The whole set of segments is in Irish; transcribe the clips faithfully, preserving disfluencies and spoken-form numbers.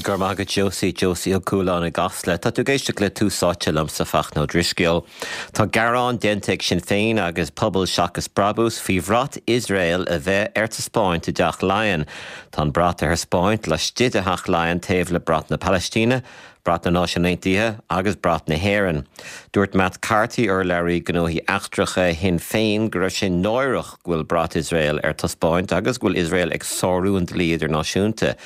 Gur maith Josie Josie Ó Cualáin i gCasla, tá tú ag éisteacht le Tús Áite liomsa Fachtna Ó Drisceoil. Tá gearán déanta ag Sinn Féin agus Pobal Seachas Brabús faoi bhrat Iosrael a bheith ar taispeáint i dTeach Laighean. Tá an brat ar taispeáint laistigh de Theach Laighean taobh le brat na Palaistíne, brat na Náisiún Aontaithe agus brat na hÉireann. Dúirt Matt Carthy urlabhraí gnóthaí eachtracha Shinn Féin go raibh sé náireach go bhfuil brat Iosrael ar taispeáint agus go bhfuil Iosrael ag sárú an dlí idirnáisiúnta.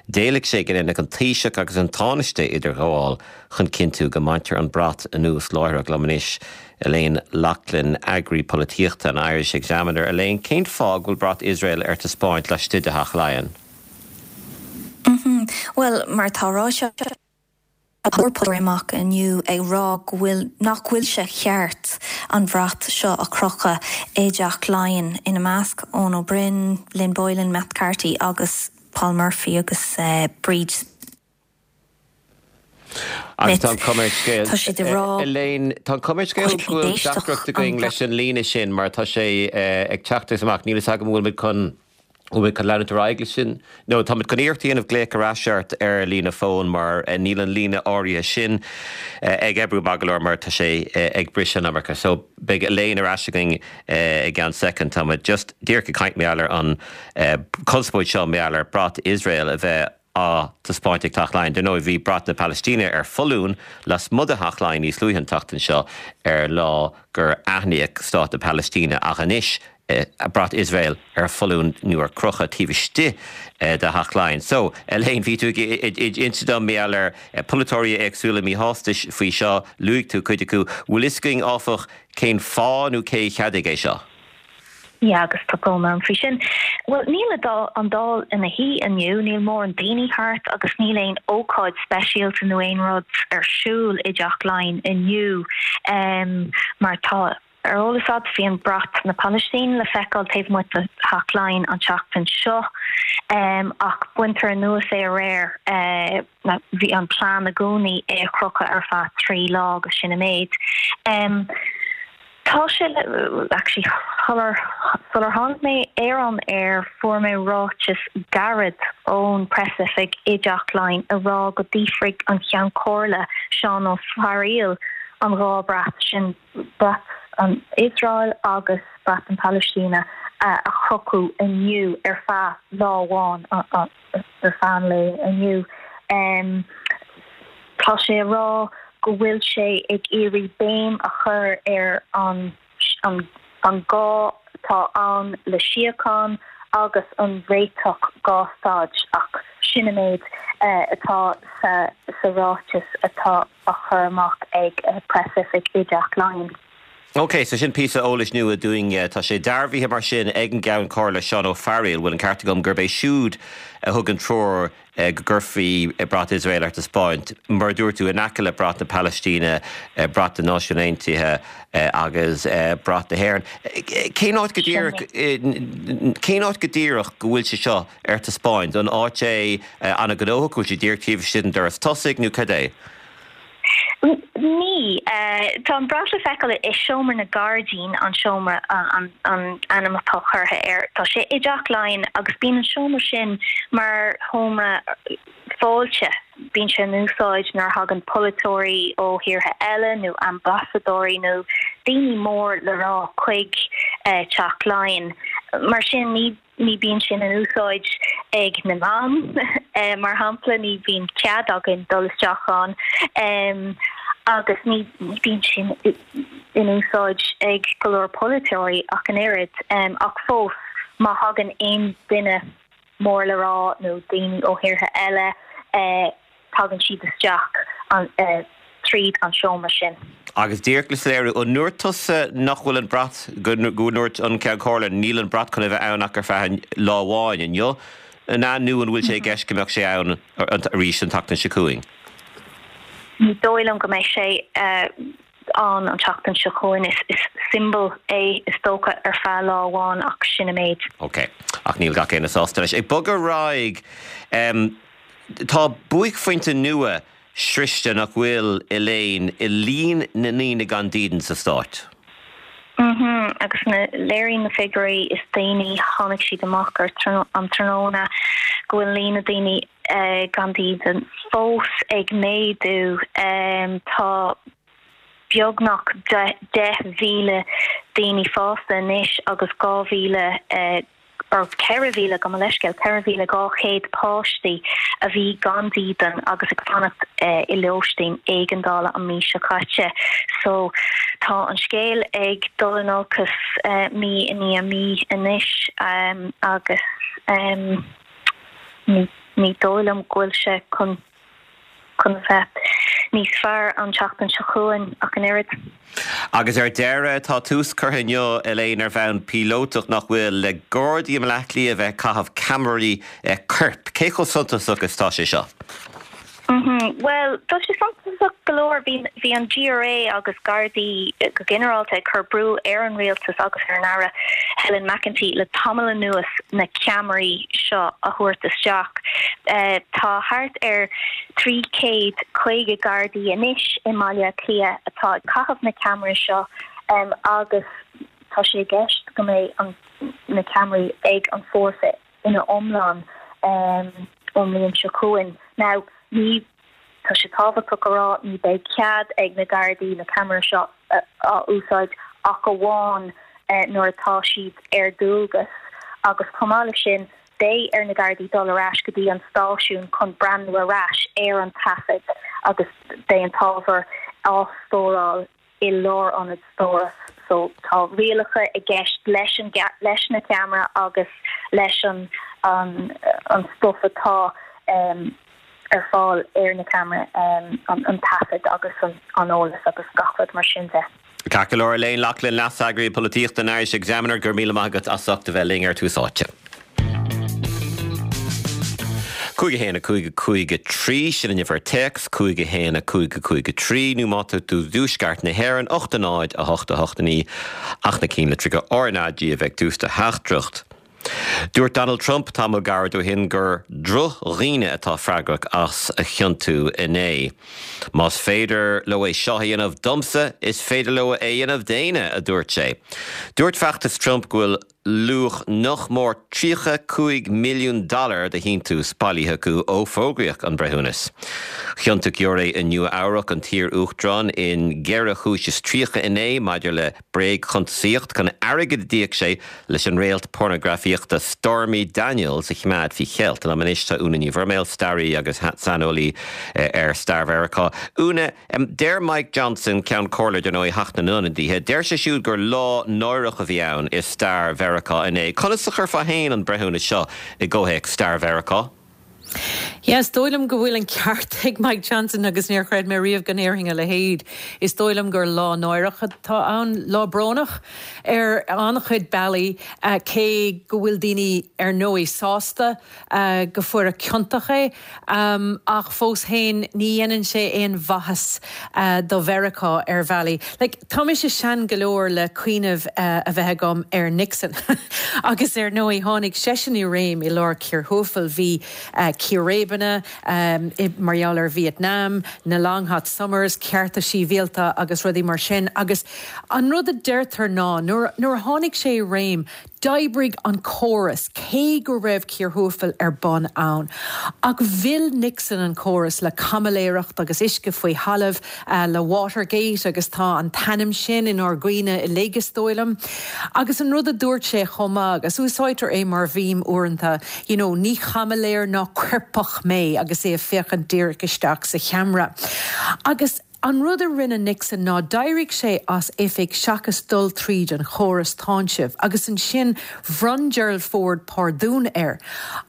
D'éiligh sé go ndéanfadh an Taoiseach agus an Tánaiste idirghabháil chun cinntiú go mbaintear an brat anuas láithreach liom anois Elaine Loughlin eagraí polaitíochta an Irish Examiner Elaine cén fáth go bhfuil brat Iosrael ar taispeáint laistigh de Theach Laighean. Mm -hmm. Well mar tá ráite amach inniu ag rá go bhfuil nach bhfuil sé ceart an bhrat seo a chrochadh i dTeach Laighean ina measc Eoin Ó Broin, Lynn Boylan, Matt Carthy agus Paul Murphy agus uh, Bríd Agus tá cuma scéal Elaine tá cuma scéal go bhfuil deacracht againn leis an líne sin mar tá sé ag teacht amach níl a agam bhfuil chun bhfuil chun leanúint ar aghaidh sin. No tá chun iarracht a dhéanamh glaoch ar ais ort ar líne fón mar níl an líne áirithe sin ag oibriú go leor mar tá sé ag briseadh an iomarca. So beidh Elaine ar ais againn i gceann soicind tá just díreach ag caint mar an conspóid seo mar ar brat Iosrael a bheith á taispeáint ag Teach Laighean. Nó bhí brat na Palaistíne ar foluain lasmuigh de Theach Laighean níos luaithe an tseachtain seo ar lá gur aithníodh stát na Palaistíne ach anois brat Iosrael ar foluain nó ar crochadh taobh istigh de Theach Laighean. So Elaine bhí tú inse dom mar ar polaiteoirí éagsúla míshásta faoi seo luaigh tú cuid acu, bhfuil fhios againn áfach cén fáth nó cé cheadaigh é seo. Ja agus tá brón orm faoi sin. Well níl an Dáil ina shuí inniu, níl mórán daoine thart agus níl aon ócáid speisialta nó aon rud ar siúl i dTeach Laighean inniu um, mar tá ar eolas agat bhí an brat na Palaistíne le feiceáil taobh amuigh de Theach Laighean an tseachtain seo um, ach baintear anuas é aréir uh, bhí an plean i gcónaí é a chrochadh ar feadh trí lá agus sin an méid. Um, Tá sé actually sular tháinig mé ar an aer fuair mé ráiteas gairid ón preasoifig i dTeach Laighean a rá go d'fhiafraigh an Ceann Comhairle Seán Ó Fearghaíl an dhá bhrat sin brat an Iosrael agus brat an Palaistíne a chrochadh inniu ar feadh lá amháin ar feadh an lae inniu. Um, tá sé rá go bhfuil sé ag iarraidh béim a chur ar an an an gá atá ann le síocháin agus an réiteach dhá stát ach sin an méid uh, atá sa, sa ráiteas atá á chur amach ag uh, preasoifig i dTeach Laighean. Ok, so sin píosa eolais nua dúinn tá sé dearbhaithe mar sin ag an gCeann Comhairle Seán Ó Fearghaíl bhfuil an ceart agam gurb é siúd a thug an treoir go gcuirfí brat Iosrael ar taispeáint mar dúirt tú in aice le brat na Palaistíne brat na Náisiún Aontaithe agus brat na hÉireann. Cén áit go díreach cén áit go díreach go bhfuil sé seo ar taispeáint an áit é an-ghnóthach bhfuil sé díreach taobh istigh den doras tosaigh nó cad é. Ní tá an brat le feiceáil i seomra na ngairdín an seomra an an ainm atá curtha air Tá sé i dTeach Laighean agus bíonn an seomra sin mar sheomra fáilte bíonn sé in úsáid nuair a thagann polaiteoirí ó thíortha eile nó ambasadóirí nó daoine mór le rá chuig Teach Laighean. Mar sin ní ní bíonn sin in úsáid ag na meáin mar shampla ní bhíonn cead againn dul isteach ann um, agus ní bíonn sin in úsáid ag go leor polaiteoirí ach an oiread um, ach fós má thagann aon duine mór le rá nó daoine ó thíortha eile uh, tagann siad isteach an uh, tríd an seomra sin. Agus díreach le soiléiriú an ndúirt tusa nach bhfuil an brat go ndúirt an Ceann Comhairle níl an brat chun a bheith ann ach ar feadh lá amháin inniu an nó an bhfuil sé i gceist go mbeadh sé ann arís an tseachtain seo chugainn. Ní dóigh liom go mbeidh sé an an tseachtain seo chugainn is is siombail é is dócha ar feadh lá amháin ach sin an méid. Ok, ach níl gach éinne sásta leis. Ag bogadh ar aghaidh um, tá buaicphointe nua sroichte nach bhfuil Elaine i líon na ndaoine gan dídean sa stát. Mm agus na léiríonn na figiúirí is déanaí tháinig siad amach ar an tráthnóna go bhfuil líon na daoine gan dídean fós ag méadú. Tá beagnach deich mhíle daoine fásta anois agus dhá mhíle or ceithre mhíle, gabh mo leithscéal, ceithre mhíle dhá chéad páistí a bhí gan dídean agus ag fanacht i lóistín éigeandála an mí seo caite. So tá an scéal ag dul in olcas mí i ndiaidh mí anois agus ní dóigh liom go bhfuil sé chun chun bheith níos fearr an tseachtain seo chugainn ach an oiread. Agus ar deireadh, tá tús curtha inniu, Elaine, ar bhonn píolótach, nach bhfuil, le Gardaí i mBaile Átha Cliath a bheith ag caitheamh ceamaraí coirp. Cé chomh suntasach is tá sé seo? Bhuel, tá sé suntasach go leor. Bhí an G R A agus Gardaí go ginearálta ag cur brú ar an rialtas agus ar an Aire Helen McEntee le tamall anuas na ceamaraí seo a thabhairt isteach. Tá thart ar trí chéad caoga Gardaí anois i mBaile Átha Cliath atá ag caitheamh na ceamaraí seo agus tá sé i gceist go mbeidh na ceamaraí ag an fórsa ina iomlán ón mbliain seo chugainn. Now, ní tá sé tábhachtach a rá, ní beidh cead ag na Gardaí na ceamaraí seo a úsáid ach amháin nuair atá siad ar dualgas agus chomh maith leis sin beidh ar na Gardaí dul ar ais go dtí an stáisiún chun breathnú ar ais ar an taifead agus beidh an t-ábhar á stóráil i lárionad stóras. So tá rialacha i gceist leis an leis na ceamara agus leis an an an stuff atá um, ar fáil ar na ceamara, um, an, an taifead agus an, an eolas agus gach rud mar sin de. Ceart go leor, Elaine Loughlin, Leas-Eagraí Polaitíochta an Irish Examiner, gur míle maith agat as ucht a bheith linn ar Tús Áite. Cúig a haon a cúig a cúig a trí, sin an uimhir téacs, cúig a haon a cúig a cúig a trí, nó má tá tú i dtuaisceart na hÉireann, ocht a náid a hocht a hocht a naoi, ach na cinnlitreacha R N A G a bheith ag tús do theachtaireacht. Dúirt Donald Trump tamall gairid ó shin gur drochdhaoine atá freagrach as a chiontú inné. Más féidir leo é seo a dhéanamh domsa, is féidir leo é a dhéanamh d'éinne, a dúirt sé. Dúirt feachtas Trump go bhfuil luach nach mór tríocha cúig milliún dollar de shíntiús bailithe acu ó fógraíodh an breithiúnas. Chiontaigh giúiré i Nua Eabhrac an t-iar-uachtarán in ceithre chúis is tríocha inné maidir le bréagchuntasaíocht chun airgead a d'íoc sé leis an réalt pornagrafaíochta Stormy Daniels a choimeád faoi cheilt. Liom anois tá Úna Ní Bhroiméil, staraí agus saineolaí ar stair Mheiriceá. Úna, deir Mike Johnson, ceann comhairle dar ndóigh Theach na nIonadaithe, deir sé siúd gur lá náireach a bhí ann i stair Mheiriceá inné. Conas a chuirfeá féin an breithiúnas seo i gcomhthéacs stair Mheiriceá? Yes, dóigh liom go bhfuil an ceart ag Mike Johnson agus níor chreid mé riamh go ndéarfainn a leithéid. Is dóigh liom gur lá náireach atá ann, lá brónach ar an-chuid bealaí, uh, cé go bhfuil daoine ar ndóigh sásta uh, go fuaireadh ciontach é, um, ach fós féin ní dhéanann sé aon mhaitheas uh, do Mheiriceá ar bhealaí. Like, tá mise sean go leor le cuimhneamh uh, a bheith agam ar Nixon agus ar ndóigh tháinig seisean i réim i lár cíor thuathail. Bhí uh, círéibeanna um, mar gheall ar Vietnam, na Long Hot Summers, cearta sibhialta agus rudaí mar sin. Agus an rud a deirtear ná nuair a tháinig sé i réim, d'oibrigh an córas cé go raibh cíor thuathail ar bun ann. Ach mhill Nixon an córas le caimiléireacht agus uisce faoi thalamh uh, le Watergate agus tá an t-ainm sin inár gcuimhne uilig, is dóigh liom. Agus an rud a dúirt sé chomh maith agus úsáidtear é mar mhím uaireanta, you know, ní chaimiléir ná coirpeach mé agus é ag féachaint díreach isteach sa cheamara. Agus an rud a rinne Nixon ná d'éirigh sé as oifig seachas dul tríd an chóras táinsimh, agus ansin bhronn Gerald Ford pardún air.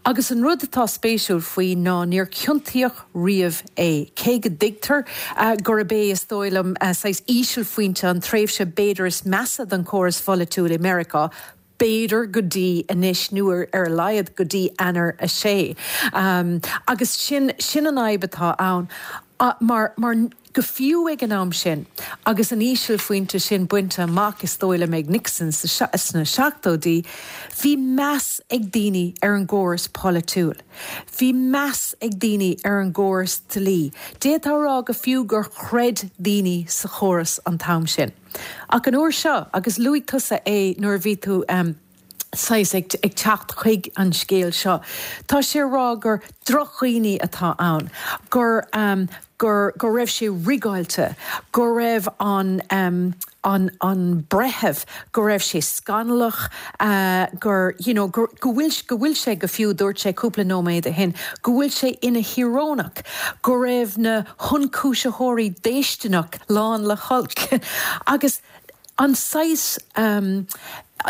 Agus an rud atá spéisiúil faoi ná níor ciontaíodh riamh é. Cé go dtuigtear uh, gurb é is dóigh liom uh, saghas ísealphointe an tréimhse b'fhéidir is measa den chóras polaitiúil i Meiriceá, b'fhéidir go dtí anois nó ar a laghad go dtí Eanáir a sé. Um, agus sin sin an fhadhb atá ann. Uh, mar, mar go fiú ag an am sin, agus an ísealphointe sin bainte amach is dóigh liom ag Nixon sna seachtóidí, bhí meas ag daoine ar an gcóras polaitiúil. Bhí meas ag daoine ar an gcóras dlí. D'fhéadfá a rá go fiú gur chreid daoine sa chóras an t-am sin. Ach an uair seo agus luaigh tusa é nuair bhí tú um, saghas ag, ag teacht chuig an scéal seo. Tá sé ag rá gur drochdhaoine atá ann, gur, um, gur, go raibh sé rigeáilte, go raibh an, um, an, an breitheamh, go raibh sé scannalach, uh, gur, you know, gur, go bhfuil, go bhfuil sé go fiú dúirt sé cúpla nóiméad ó shin, go bhfuil sé ina thíorónach, go raibh na hionchúisitheoirí déistineach lán le holc. Agus an saghas um,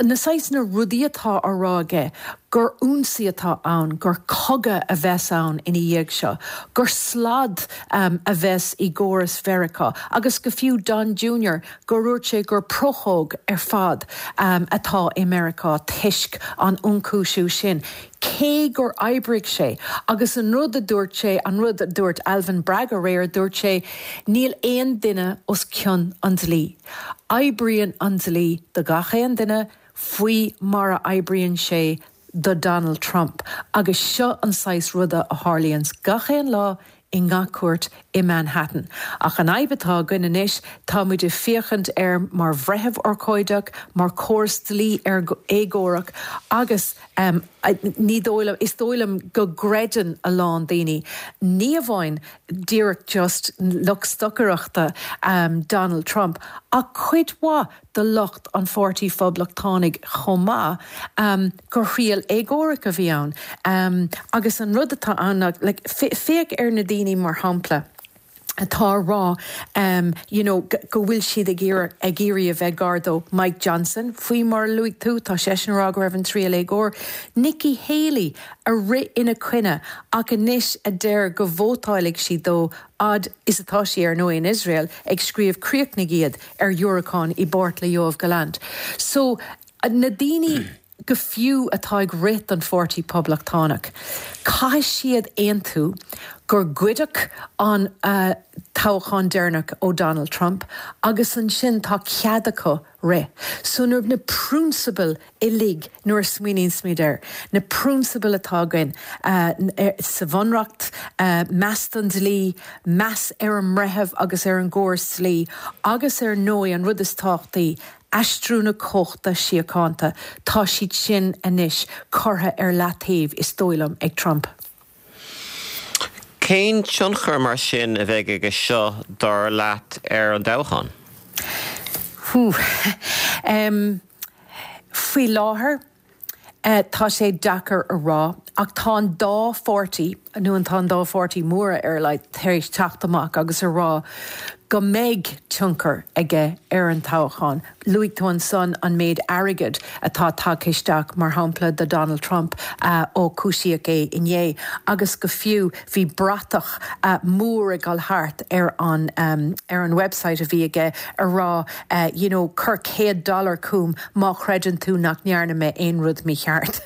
na saghas na rudaí atá á rá aige gur ionsaí atá ann, gur cogadh a bheas ann ina dhiaidh seo, gur slad um, a bheas i gcóras Mheiriceá, agus go fiú Don Junior gur dúirt sé gur prochóg ar fad um, atá i Meiriceá toisc an ionchúisiú sin. Cé gur oibrigh sé, agus an rud a dúirt sé an rud a dúirt Alvin Bragg aréir dúirt sé níl aon duine os cionn an dlí. Oibríonn an dlí do gach aon duine faoi mar a oibríonn sé do Donald Trump, agus seo an saghas ruda a tharlaíonn gach aon lá i ngach cúirt i Manhattan. Ach an fhadhb atá againn anois tá muid ag féachaint air mar bhreitheamh urchóideach, mar chóras dlí ar éagórach agus um, ní dóigh liom is dóigh liom go gcreideann a lán daoine. Ní amháin díreach just lucht stocaireachta um, Donald Trump, ach cuid mhaith de lucht an Pháirtí Phoblachtánaigh chomh maith um, gur thriail éagórach a bhí ann. Um, agus an rud atá ann like, féach ar na daoine mar shampla. atá ag rá um, you know, go bhfuil siad ag ag iarraidh a bheith gar dó Mike Johnson faoi mar a luaigh tú tá seisean ag rá go raibh an triail éagóir. Nikki Haley a rith ina choinne ach anois a deir go vótálfaidh sí dó fhad is atá sí ar ndóigh in Israel ag scríobh críochnaigh iad ar dhiúracán i bpáirt le Yoav Gallant. So na daoine go fiú atá ag rith don Pháirtí Poblachtánach. Caithfidh siad aontú gur goideadh an uh, toghchán deireanach ó Donald Trump agus ansin tá cead acu rith. So nuair na prionsabail uilig nuair a smaoiníonn muid air, na prionsabail atá againn uh, sa bhunreacht uh, meas don dlí, meas ar an mbreitheamh agus ar an gcóras dlí, agus ar ndóigh an rud is tábhachtaí aistriú na cumhachta síochánta, tá siad sin anois curtha ar leataobh is dóigh liom ag Trump. Cén tionchar mar sin a bheidh aige seo dar leat ar an dtoghchán? Um, faoi láthair uh, tá sé deacair a rá, ach tá an dá pháirtí nó an tá an dá pháirtí móra ar le tar éis teacht amach agus a rá go mbeidh tionchar aige ar an toghchán. Luaigh tú ansan an méid airgid atá tagtha isteach mar shampla do Donald Trump uh, ó cúisíodh é inné, agus go fiú bhí bratach uh, mór ag dul thart ar an, um, ar an website a bhí aige a rá uh, you know, cuir céad dollar chugam má chreideann tú nach ndearna mé aon rud mícheart.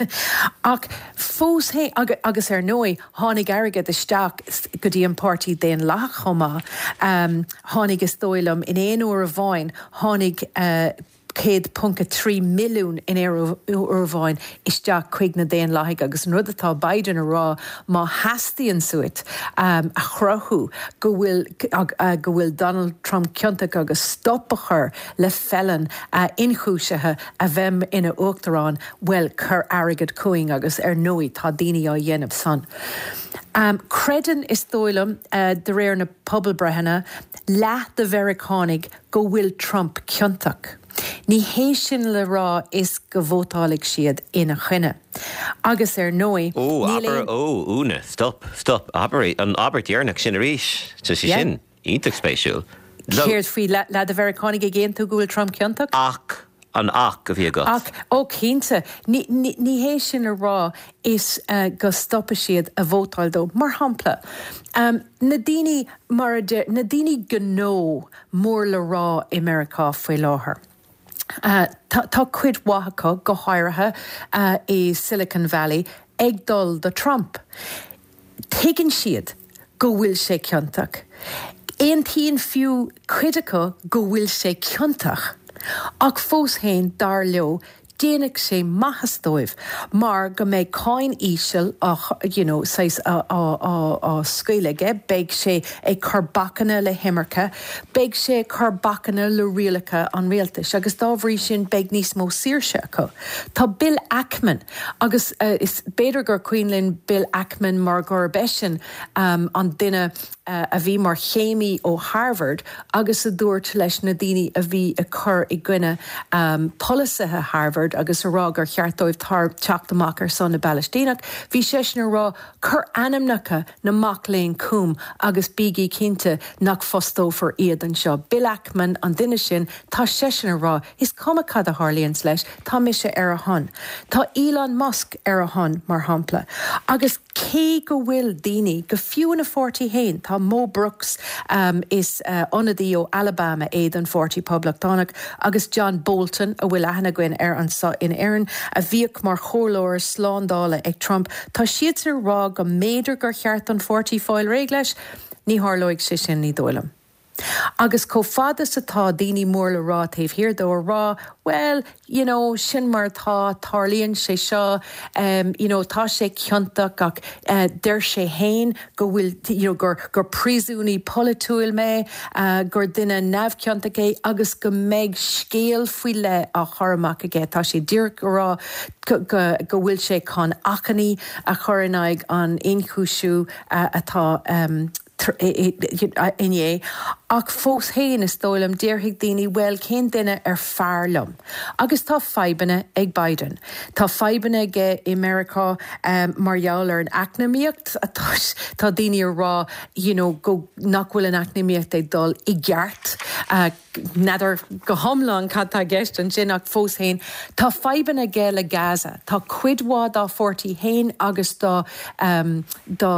Ach fós hé agus ar ndóigh tháinig airgead isteach go dtí an Páirtí Daonlathach chomh maith. Um, tháinig is dóigh liom in aon uair amháin tháinig uh, céad ponc a trí milliún in aon uair amháin isteach chuig na Daonlathaigh agus an rud atá Biden a rá má theastaíonn uait um, a chruthú go bhfuil uh, go bhfuil Donald Trump ciontach agus stop a chur le felon uh, inchúisithe a bheith ina uachtarán well cuir airgead chugainn agus ar ndóigh tá daoine á dhéanamh san. Um, Creideann is dóigh liom uh, de réir na pobalbreitheanna leath de Mheiriceánaigh go bhfuil Trump ciontach. Ní hé sin le rá is go vótálfaidh siad ina choinne. Agus ar ndóigh ó Úna, stop, stop, abair an abairt dheireanach sin arís tá sé sin iontach spéisiúil. Céard faoi leath de Mheiriceánaigh ag aontú go bhfuil Trump ciontach? Ach an ach a bhí agat. Ach ó cinnte ní hé sin a rá is uh, go stopfaidh siad a vótáil dó. Mar shampla, um, na daoine mar na daoine gnó mór le rá i Meiriceá faoi láthair. Uh, tá, tá cuid mhaith acu go háirithe uh, i Silicon Valley ag dul do Trump. Tuigeann siad go bhfuil sé ciontach. Aontaíonn fiú cuid acu go bhfuil sé ciontach. Ach fós féin dar leo Déanfaidh sé maitheas dóibh mar go mbeidh cáin íseal á you know saghas á á á á scaoileadh aige, beidh sé ag cur bacanna le himirce, beidh sé ag cur bacanna le rialacha an rialtais agus dá bhrí sin beidh níos mó saoirse acu. Tá Bill Ackman agus is b'fhéidir gur cuimhin linn Bill Ackman mar gurb eisean an duine a bhí mar chéimí ó Harvard agus a dúirt leis na daoine a bhí ag cur i gcoinne polasaithe Harvard agus a rá gur cheart dóibh teacht amach ar son na bPalaistíneach, bhí seisean a rá, cuir ainmneacha na mac léinn chugam agus bígí cinnte nach bhfostófar iad anseo. Bill Ackman an duine sin, tá seisean a rá, is cuma cad a tharlaíonns leis, tá mise ar a shon. Tá Elon Musk ar a shon, mar shampla. Agus cé go bhfuil daoine, go fiú ina pháirtí féin, tá Mo Brooks, is ionadaí ó Alabama é don Pháirtí Poblachtánach, agus John Bolton, a bhfuil aithne againn air anseo in Éirinn, a bhíodh mar chomhairleoir slándála ag Trump, tá siadsan ag rá go mb'fhéidir gur cheart don pháirtí fáil réidh leis. Ní tharlóidh sé sin, ní dóigh liom. Agus chomh fada is atá daoine mór le rá taobh thiar dó a rá, bhuel, you know, sin mar atá, tarlaíonn sé seo, em, you know, tá sé ciontach ach eh, deir sé fhéin go bhfuil, you know, gur, gur príosúnaí polaitiúil mé, eh, gur duine neamhchiontach é agus go mbeidh scéal faoi leith á chur amach aige. Tá sé díreach a rá go, go, go bhfuil sé chun achainí a chur in aghaidh an ionchúisiú eh, atá, em, inné, ach fós féin is dóigh liom déarfaidh daoine bhuel cén duine ar fearr liom? Agus tá fadhbanna ag Biden. Tá fadhbanna aige i Meiriceá mar gheall ar an eacnamaíocht, tá daoine ag rá you know go nach bhfuil an eacnamaíocht ag dul i gceart. N'fheadar go hiomlán cad tá i gceist ansin ach fós féin tá fadhbanna aige le Gaza. Tá cuid mhaith dá pháirtí féin agus dá dá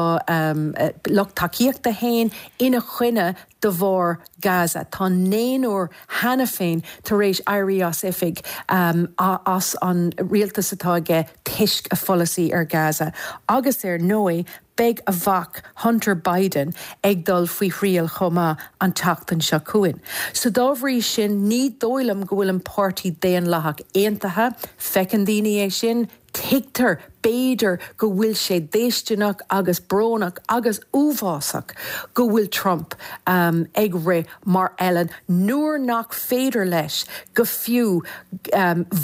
lucht tacaíochta féin ina choinne de bharr Gaza. Tá naonúr cheana féin tar éis éirí as oifig as an rialtas atá aige toisc a pholasaí ar Gaza. Agus ar ndóigh beidh a mhac Hunter Biden ag dul faoi thriail chomh maith an tseachtain seo chugainn. So dá bhrí sin ní dóigh liom go bhfuil an Páirtí Daonlathach aontaithe, feiceann daoine é sin, tuigtear b'fhéidir go bhfuil sé déistineach agus brónach agus uafásach go bhfuil Trump ag rith mar fheilean nuair nach féidir leis go fiú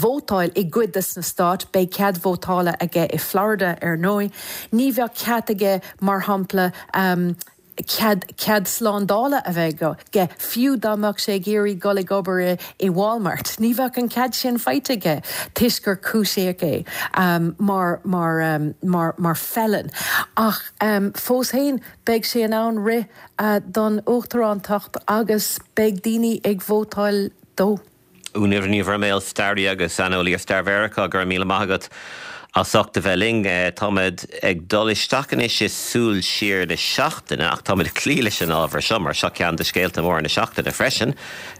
vótáil i gcuid de na stáit, beidh cead vótála aige i Florida ar ndóigh, ní bheadh cead aige mar shampla cead cead slándála a bheith aige, fiú dá mbeadh sé ag iarraidh dul ag obair i i Walmart. Ní bheadh an cead sin faighte aige toisc gur cúisíodh é mar mar mar mar felon. Ach fós féin, beidh sé in ann rith don uachtarántacht agus beidh daoine ag vótáil dó. Úna Ní Bhroiméil, staraí agus saineolaí ar stair Mheiriceá, go raibh míle maith agat as ucht a bheith linn. Táimid ag dul isteach anois i súil siar na seachtaine ach táimid ag cloí leis an ábhar seo mar seo ceann de scéalta móra na seachtaine freisin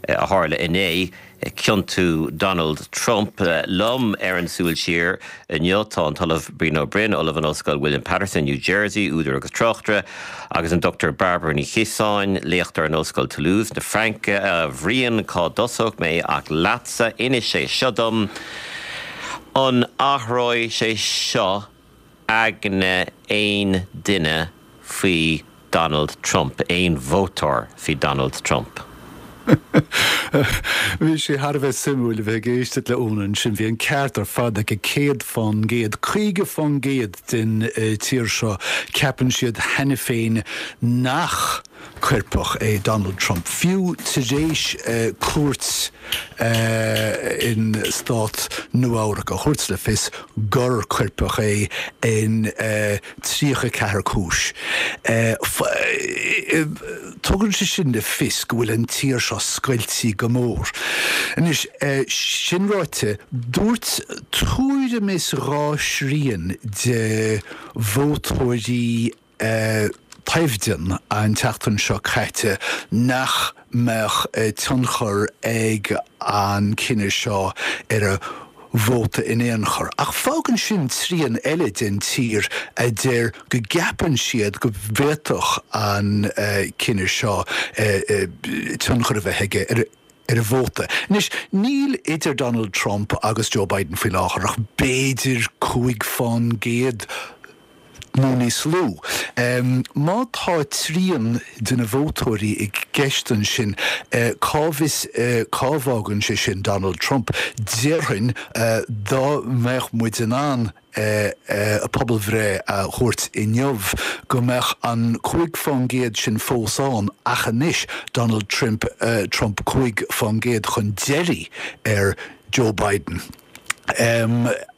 a tharla inné, ciontú Donald Trump. Liom ar an Súil Siar inniu tá an tOllamh Brian Ó Broin, Ollamh in Ollscoil William Paterson, New Jersey, údar agus tráchtaire, agus an Dochtúir Bairbre Ní Chiosáin, léachtóir in Ollscoil Toulouse na Fraince. A Bhriain, cá dtosódh mé ach leatsa, inis é seo dom, an athróidh sé seo aigne aon duine faoi Donald Trump, aon vótóir faoi Donald Trump? Bhí sé thar a bheith suimiúil a bheith ag éisteacht le Úna ansin. Bhí an ceart ar fad aici, céad fán gcéad, caoga fán gcéad den tír seo, ceapann siad cheana féin nach coirpeach é Donald Trump, fiú tar éis cúirt in stát Nua-Eabhrac a thabhairt le fios gur coirpeach é in tríocha ceathair cúis. Tugann sé sin le fios go bhfuil an tír seo scoilte go mór. Anois, sin ráite, dúirt tuairim is dhá thrian de vótóirí toimhdean an tseachtain seo caite nach mbeadh tionchar ag an cinneadh seo ar a vóta in aon chor. Ach fágann sin trian eile den tír a deir go gceapann siad go bhféadfadh an cinneadh seo tionchar a bheith aige ar ar a vóta. Anois, níl idir Donald Trump agus Joe Biden faoi láthair ach b'fhéidir cúig fán gcéad nó níos lú. Má tá trian de na vótóirí i gceist ansin, cá bhfios cá bhfágann sé sin Donald Trump? Déarfainn dá mbeadh muid in ann pobalbhreith a thabhairt inniu go mbeadh an cúig fán gcéad sin fós ann ach anois Donald Trump Trump cúig fán gcéad chun deiridh ar Joe Biden.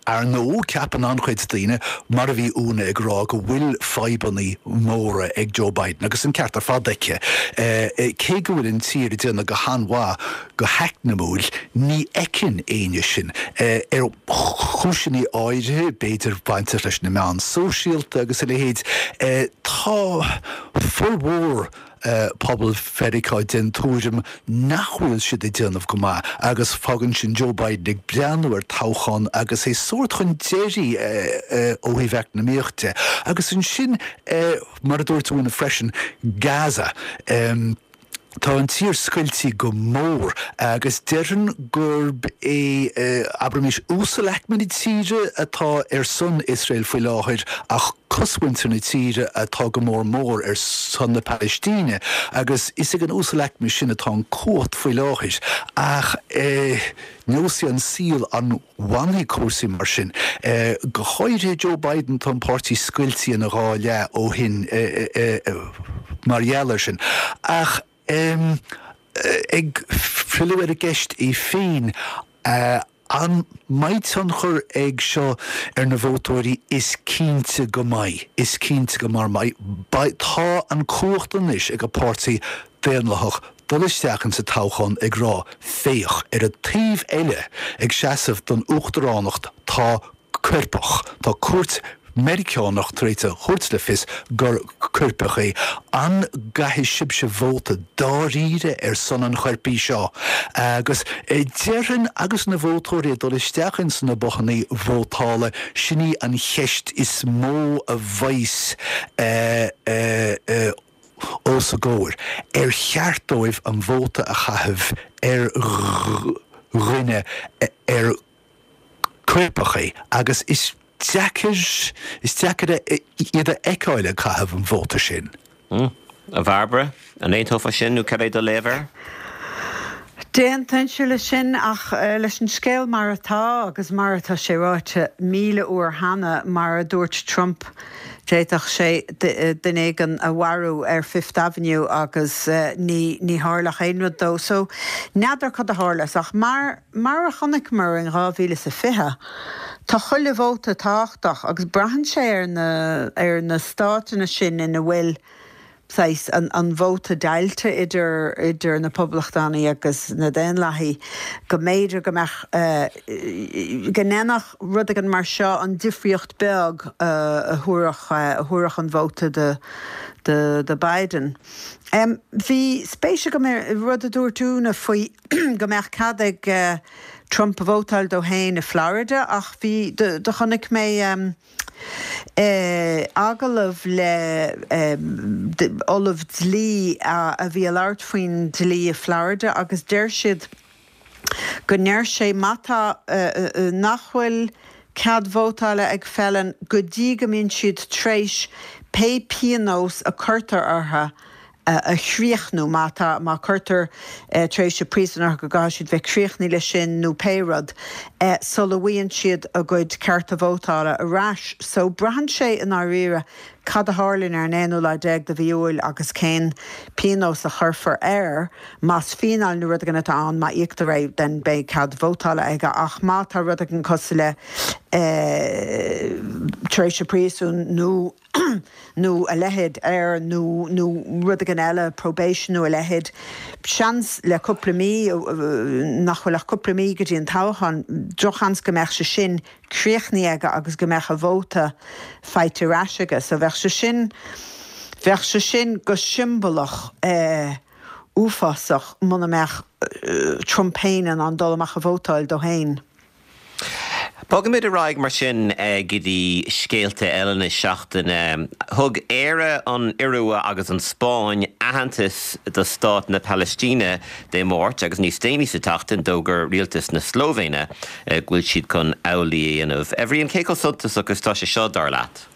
Ar ndóigh, ceapann an-chuid daoine, mar a bhí Úna ag rá, go bhfuil fadhbanna móra ag Joe Biden, agus an ceart ar fad aici. Cé go bhfuil an tír ag déanamh go han-mhaith go heacnamúil, ní fheiceann éinne sin. Ar chúiseanna áirithe, b'fhéidir bainteach leis na meáin sóisialta agus a leithéid, tá formhór pobal Mheiriceá den tuairim nach bhfuil siad ag déanamh go maith agus fágann sin Joe Biden ag breathnú ar toghchán agus é sórt chun deiridh ó thaobh eacnamaíocht de. Agus ansin, mar a dúirt Úna freisin, Gaza. Tá an tír scoiltí go mór agus déarfainn gurb é, abraimis, uasalaicme na tíre atá ar son Iosrael faoi láthair ach cosmhuintir na tíre atá go mór mór ar son na Palaistíne agus is ag an uasalaicme sin atá an cumhacht faoi láthair. Ach neosfaidh an saol an bhfanfaidh cúrsaí mar sin. Go háirithe Joe Biden, tá an páirtí scoiltí ina dhá leath ó shin mar gheall air sin. Ach ag filleadh ar an gceist í féin, an mbeidh tionchar ag seo ar na vótóirí? Is cinnte go mbeidh. Is cinnte go mbeidh. Tá an cumhacht anois ag an bPáirtí Daonlathach dul isteach insa toghchán ag rá, féach, ar an taobh eile ag seasamh don uachtaránacht tá coirpeach. Tá cúirt Meiriceánach tar éis a thabhairt le fios gur coirpeach é. An gcaithfidh sibhse vóta dáiríre ar son an choirpigh seo? Agus déarfainn agus na vótóirí ag dul isteach ins na bothannaí vótála, sin í an cheist is mó a bheas os a gcomhair. Ar cheart dóibh an vóta a chaitheamh ar dhuine ar coirpeach é? Agus is deacair, is deacair iad a fheiceáil ag caitheamh an vóta sin. A Bhairbre, an aontófá sin nó cad é do léamh air? D'aontóinnse leis sin ach leis an scéal mar atá agus mar atá sé ráite míle uair cheana, mar a dúirt Trump, d'fhéadfadh sé duine éigin a mharú ar Fifth Avenue agus ní ní tharlódh aon rud dó. So, n'fheadar cad a tharlós ach mar mar a chonaiceamar in dhá mhíle is a fiche, tá chuile vóta tábhachtach agus braitheann sé ar na ar na stáiteanna sin ina bhfuil saghas an an vóta deighilte idir idir na Poblachtánaigh agus na Daonlathaigh go mb'fhéidir go mbeadh go ndéanfadh rud éigin mar seo an difríocht beag a thabharfadh a thabharfadh an vóta do do do Biden. Bhí spéis agam i rud a dúirt Úna faoi go mbeadh cead ag Trump vótáil dó féin i Florida ach bhí do do chonaic mé agallamh le ollamh dlí a bhí ag labhairt faoin dlí i Florida agus deir siad go ndeir sé má tá nach bhfuil cead vótála ag felon go dtí go mbíonn siad tréis pé pionós a cuirtear orthu a chríochnú, má tá, má cuirtear tréimhse príosúin orthu go gcaithfidh siad bheith críochnaithe leis sin nó pé rud, sula bhfaigheann siad a gcuid cearta vótála ar ais. So, braitheann sé i ndáiríre cad a tharlaíonn ar an aonú lá déag de mhí Iúil agus cén pionós a chuirfear air, más fíneáil nó rud éigin atá ann, má íoctar é then beidh cead vótála aige ach má tá rud éigin cosúil le tréimhse príosúin nó nó a leithéid air nó nó rud éigin eile, probation nó a leithéid. Seans le cúpla mí, nach bhfuil ach cúpla mí go dtí an toghchán, drochsheans go mbeadh sé sin críochnaithe aige agus go mbeadh a vóta faighte ar ais aige. So bheadh sé sin, bheadh sé sin go siombalach uafásach muna mbeadh Trump féin in ann dul amach a vótáil dó féin. Bogaimid ar aghaidh mar sin go dtí scéalta eile na seachtaine. Thug Éire, an Iorua agus an Spáinn aitheantas do Stát na Palaistíne Dé Máirt agus níos déanaí sa tseachtain d'fhógair rialtas na Slóivéine go bhfuil siad chun amhlaidh a dhéanamh. A Bhriain, cé chomh suntasach is atá sé seo dar leat?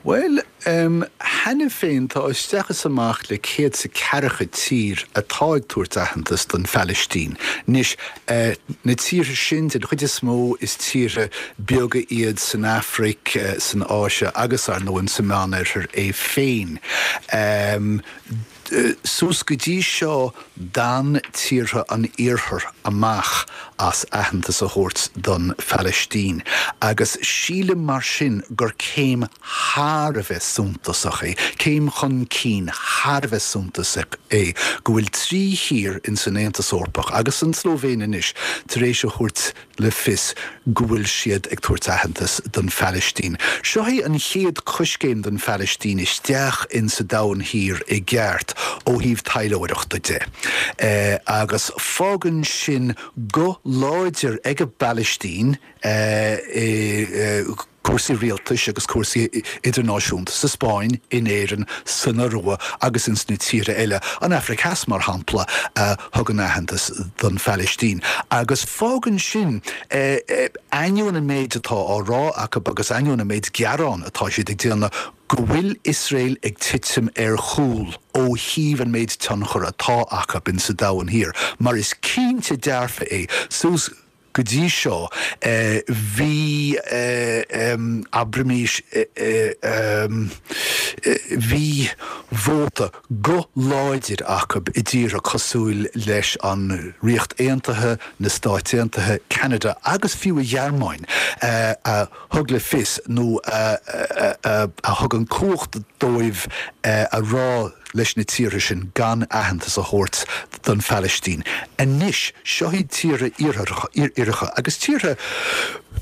Bhuel, cheana féin tá isteach is amach le céad is ceathracha tír atá ag tabhairt aitheantas don Phalaistín. Anois, na tíortha sin, den chuid is mó, is tíortha beaga iad san Afraic, san Áise agus, ar ndóigh, sa Meánoirthear é féin. Suas go dtí seo d'fhan tíortha an Iarthair amach as aitheantas a thabhairt don Phalaistín agus sílim mar sin gur céim thar a bheith suntasach é, céim chun cinn thar a bheith suntasach é go bhfuil trí thír ins an Aontas Eorpach agus an tSlóivéin anois tar éis a thabhairt le fios go bhfuil siad ag tabhairt aitheantas don Phalaistín. Seo é an chéad coiscéim don Phalaistín isteach in sa Domhan Thiar i gceart ó thaobh taidhleoireachta de. Agus fágann sin guth láidir ag an bPalaistín i cúrsaí rialtais agus cúrsaí idirnáisiúnta sa Spáinn, in Éirinn, san Iorua agus ins na tíortha eile, an Afraic Theas mar shampla, a thugann aitheantas don Phalaistín. Agus fágann sin, ainneoin an méid atá á rá acu agus ainneoin an méid gearán atá siad ag déanamh, go bhfuil Iosrael ag titim ar chúl ó thaobh an méid tionchar atá acu ins sa Domhan Thiar, mar is cinnte dearfa é, suas Go dtí seo, bhí, abraimis, bhí vóta, guth láidir acu i dtíortha cosúil leis an Ríocht Aontaithe, na Stáit Aontaithe, Ceanada agus fiú an Ghearmáin a thug le fios nó a thug an cumhacht dóibh a rá leis na tíortha sin gan aitheantas a thabhairt don Phalaistín. Anois, seo iad tíortha iartharacha agus tíortha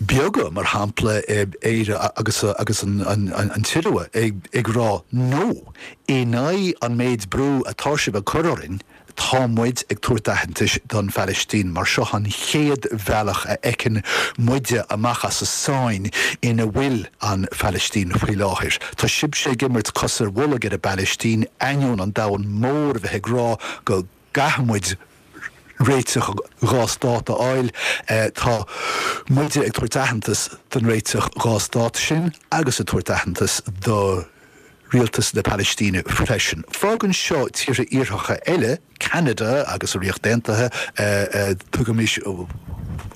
beaga, mar shampla Éire agus agus an tIorua, ag rá no, in aghaidh an méid brú atá sibh ag cur orainn, Tá muid ag tabhairt aitheantais don Phalaistín mar seo an chéad bhealach a fheiceann muide amach as an sáinn ina bhfuil an Phalaistín faoi láthair. Tá sibhse ag imirt cos ar bholg ar an bPalaistín ainneoin an domhan mór a bheith ag rá go gcaithfidh muid réiteach dhá stát a fháil. Tá muide ag tabhairt aitheantas don réiteach dhá stát sin agus ag tabhairt aitheantas do Rialtas na Palaistíne freisin. Fágann seo tíortha iartharacha eile, Ceanada agus an Ríocht Aontaithe, tugaimis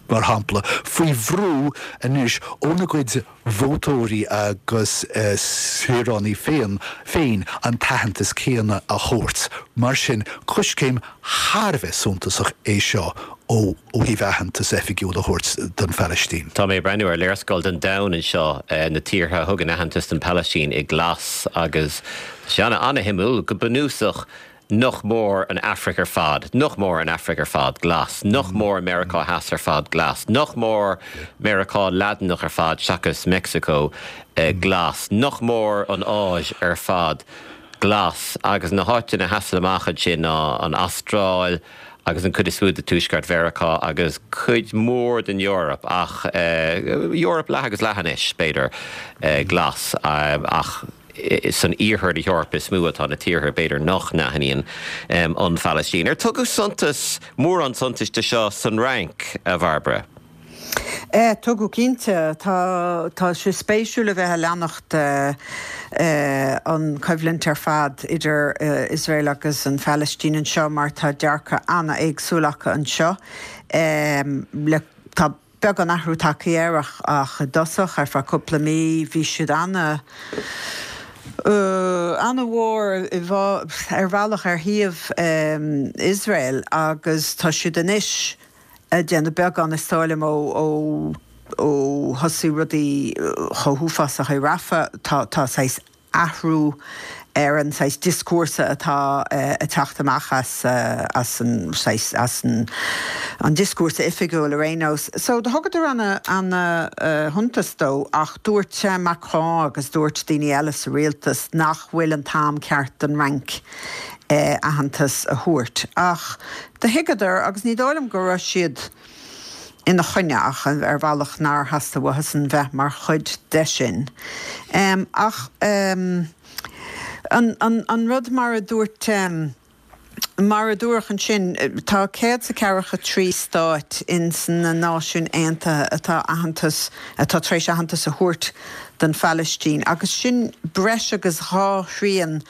mar shampla, faoi bhrú anois óna gcuid vótóirí agus saoránaigh féin féin an t-aitheantas céanna a thabhairt. Mar sin, coiscéim thar a bheith suntasach é seo ó thaobh aitheantas oifigiúil a thabhairt don Phalaistín. Tá mé ag breathnú ar léarscáil den domhan anseo, na tíortha a thugann aitheantas don Phalaistín i glas agus tá sé ana-shuimiúil, go bunúsach, nach mór an Afraic ar fad, nach mór an Afraic ar fad glas, nach mór Meiriceá Theas ar fad glas, nach mór Meiriceá Laidineach ar fad seachas Meicsiceo glas, nach mór an Áis ar fad glas agus na háiteanna a sheasann amach ansin ná an Astráil, agus an chuid is mó de Tuaisceart Mheiriceá agus cuid mhór den Eoraip, ach Eoraip leath agus leath anois, b'fhéidir, glas, ach san iarthar na hEorpa is mó atá na tíortha, b'fhéidir, nach n-aithníonn an Phalaistín. Ar tugadh suntas, mórán suntais de seo san Fhrainc, a Bhairbre? Tugadh cinnte. Tá tá sé spéisiúil a bheith ag leanacht an choimhlint ar fad idir Iosrael agus an Phalaistín anseo mar tá dearcadh an-éagsúil acu anseo. Le tá beagán athrú tagtha air ach ach i dtosach ar feadh cúpla mí bhí siad ana ana-mhór ar bhealach ar thaobh Iosrael agus tá siad anois ag déanamh beagán, is dóigh liom, ó ó thosaigh rudaí chomh huafásach i Rafah, tá tá saghas athrú ar an saghas dioscúrsa atá ag teacht amach as as an saghas as an an dioscúrsa oifigiúil ar aon nós. So do thugadar ana ana shuntas dó ach dúirt Macron agus dúirt daoine eile sa rialtas nach bhfuil an t-am ceart don Fhrainc aitheantas a thabhairt. Ach do thuigeadar, agus ní dóigh liom go raibh siad ina choinne ach ar bhealach nár theastaigh uathusan bheith mar chuid de sin. Ach an an rud mar a dúirt mar a dúradh ansin, tá céad is a ceathracha trí stáit ins na Náisiúin Aontaithe atá aitheantas atá tar éis aitheantas a thabhairt don Phalaistín agus sin breis agus dhá thrian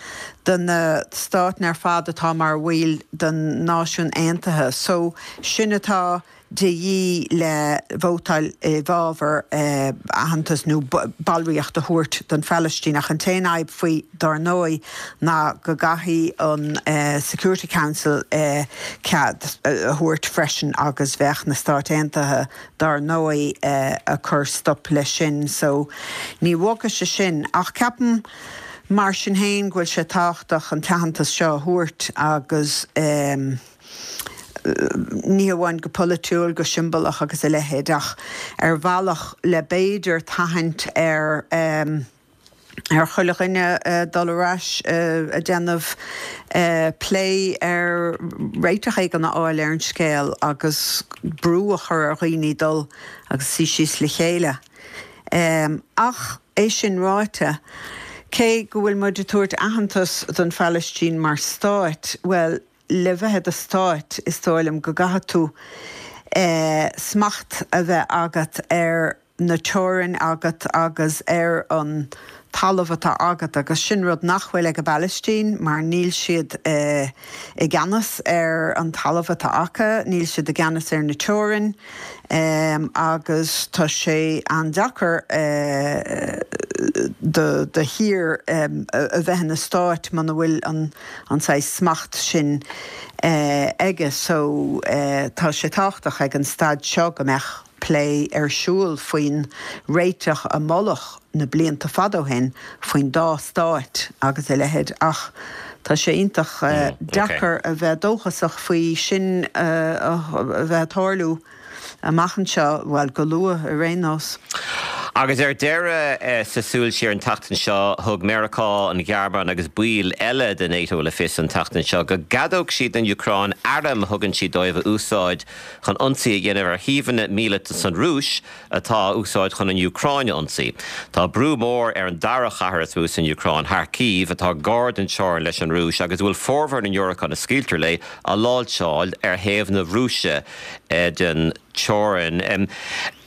de na stáit ar fad atá mar bhaill den Náisiún Aontaithe. So sin atá de dhíth le vótáil i bhfabhar aitheantas nó ballraíocht a thabhairt don Phalaistín ach an t-aon fhadhb faoi dár ndóigh ná go gcaithfidh an Security Council cead a thabhairt freisin agus bheadh na Stáit Aontaithe dár ndóigh ag cur stop leis sin so ní bhogfaidh sé sin ach ceapaim mar sin féin go bhfuil sé tábhachtach an t-aitheantas seo a thabhairt agus ní hamháin go polaitiúil, go siombalach agus a leithéid, ach ar bhealach le b'fhéidir tathaint ar ar chuile dhuine dul ar ais ag déanamh plé ar réiteach éigin a fháil ar an scéal agus brú a chur ar dhaoine dul agus suí síos le chéile. Ach é sin ráite, cé go bhfuil muid ag tabhairt aitheantas don Phalaistín mar stáit, bhuel, le bheith i do stát, is dóigh liom go gcaithfidh tú smacht a bheith agat ar na teorainn agat agus ar an talamh atá agat agus sin rud nach bhfuil ag an bPalaistín mar níl siad i gceannas ar an talamh atá acu, níl siad i gceannas ar na teorainn agus tá sé an-deacair do thír a bheith ina stát muna bhfuil an an saghas smacht sin aige so tá sé tábhachtach ag an staid seo go mbeadh plé ar siúl faoin réiteach a moladh na blianta fada ó shin faoin dá stát agus a leithéid ach tá sé iontach deacair a bheith dóchasach faoi sin a bheith ag tarlú. Amach anseo, bhuel, go luath ar aon nós. Agus ar deireadh, sa Súil Siar an tseachtain seo, thug Meiriceá, an Ghearmáin agus baill eile de NATO le fios an tseachtain seo go gceadódh siad don Úcráin airm a thugann siad dóibh a úsáid chun ionsaí a dhéanamh ar shuíomhanna míleata san Rúis atá á úsáid chun an Úcráin a ionsaí. Tá brú mór ar an dara chathair is mó san Úcráin, Kharkiv, atá gar don teorainn leis an Rúis agus a bhfuil formhór na ndiúracán a scaoiltear léi á láimhseáil ar thaobh na Rúise den teorainn.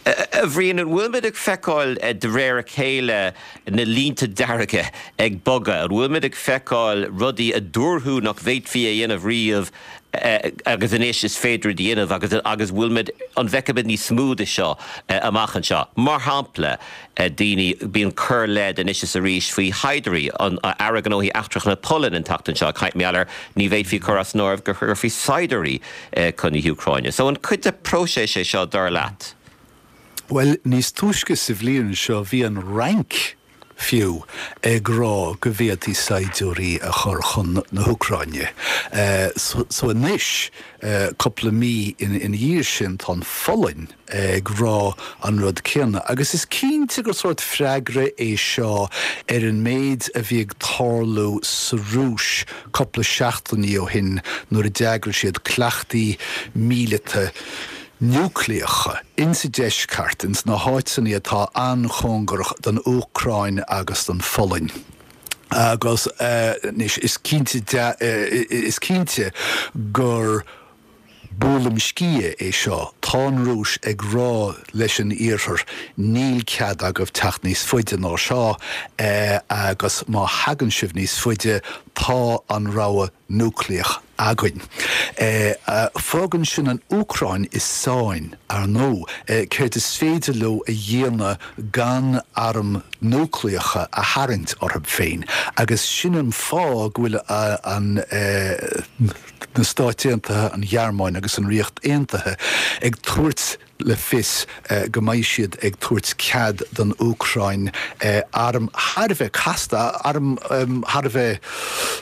A Bhriain, an bhfuilimid ag feiceáil de réir a chéile na línte dearga ag bogadh? An bhfuilimid ag feiceáil rudaí a dúradh nach bhféadfaí a dhéanamh riamh agus anois is féidir iad a dhéanamh agus agus bhfuilimid, an bhfeicfimid níos mó de seo amach anseo? Mar shampla, daoine, bíonn corr-leid anois is arís faoi shaighdiúirí, an Aire Gnóthaí Eachtracha na Polainne an tseachtain seo ag caint mar gheall ar ní bhféadfaí cur as an áireamh go gcuirfí saighdiúirí chun na hÚcráine. So an cuid de próiseas é seo dar leat? Bhuel, níos túisce sa bhliain seo bhí an Fhrainc fiú ag rá go bhféadfaí saighdiúirí a chur chun na hÚcráine. So anois, cúpla mí ina dhiaidh sin, tá an Pholainn ag rá an rud céanna. Agus is cinnte gur sórt freagra é seo ar an méid a bhí ag tarlú sa Rúis cúpla seachtainí ó shin nuair a d'eagraigh siad cleachtaí míleata núicléacha insa deisceart, ins na háiteanna atá an-chóngarach don Úcráin agus don Pholainn. Agus anois is cinnte is cinnte gur buaileam sciath é seo. Tá an Rúis ag rá leis an Iarthar, níl cead agaibh teacht níos faide ná seo agus má thagann sibh níos faide, tá an rogha núicléach againn. Fágann sin an Úcráin i sáinn, ar ndóigh. Céard is féidir leo a dhéanamh gan airm núicléacha a tharraingt orthu féin? Agus sin an fáth go bhfuil an na Stáit Aontaithe, an Ghearmáin agus an Ríocht Aontaithe ag tabhairt le fios go mbeidh siad ag tabhairt cead don Úcráin airm thar a bheith casta, airm thar a bheith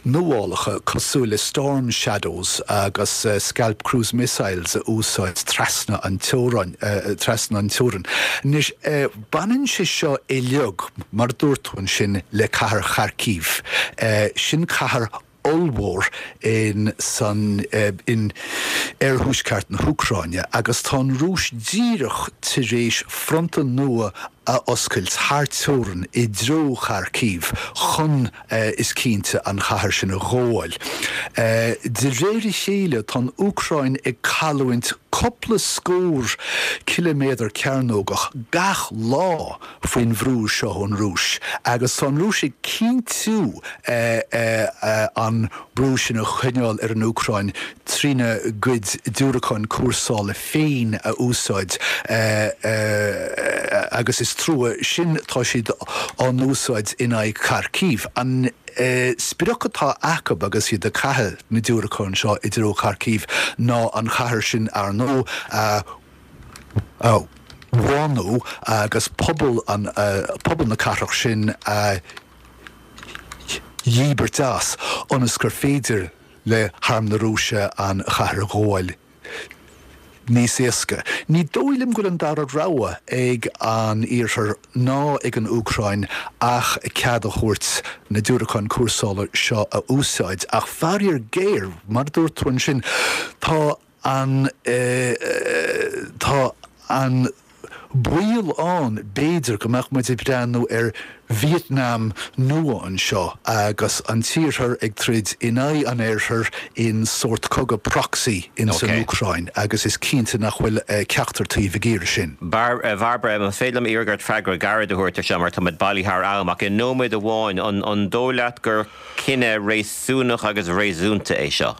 nuálacha cosúil le Storm Shadows agus Scalp cruise missiles a úsáid trasna an teorainn, trasna an teorainn. Anois, baineann sé seo uilig, mar a dúirt tú ansin, le cathair Kharkiv. Sin cathair ollmhór in san in oirthuaisceart na hÚcráine agus tá an Rúis díreach tar éis fronta nua a oscailt thar teorainn i dtreo Kharkiv chun, is cinnte, an chathair sin a ghabháil. De réir a chéile tá an Úcráin ag cailliúint cúpla scór ciliméadar cearnógach gach lá faoin bhrú seo ón Rúis agus tá an Rúis ag cinntiú an brú sin a choinneáil ar an Úcráin trína gcuid diúracán cúrsála féin a úsáid agus is trua sin tá siad á n-úsáid in aghaidh Kharkiv. An sprioc atá acu agus iad ag caitheamh na diúracán seo i dtreo Kharkiv ná an chathair sin ar ndóigh a bhánú agus pobal an pobal na cathrach sin a dhíbirt as ionas gur féidir le harm na Rúise an chathair a ghabháil níos éasca. Ní dóigh liom go bhfuil an dara rogha ag an Iarthar ná ag an Úcráin ach cead a thabhairt na diúracáin cúrsála seo a úsáid. Ach faraor géar, mar a dúirt tú ansin, tá an tá an baol ann, b'fhéidir, go mbeadh muid ag breathnú ar Vítneam nua anseo agus an tIarthar ag troid in aghaidh an Oirthir in sórt cogadh proxy in san Úcráin agus is cinnte nach bhfuil ceachtar taobh ag iarraidh sin. Bhairbre, más féidir liom iarraidh ort freagra gairid a thabhairt ar seo mar tá muid bailithe thar am ach i nóiméad amháin, an dóigh leat gur cinneadh réasúnach agus réasúnta é seo?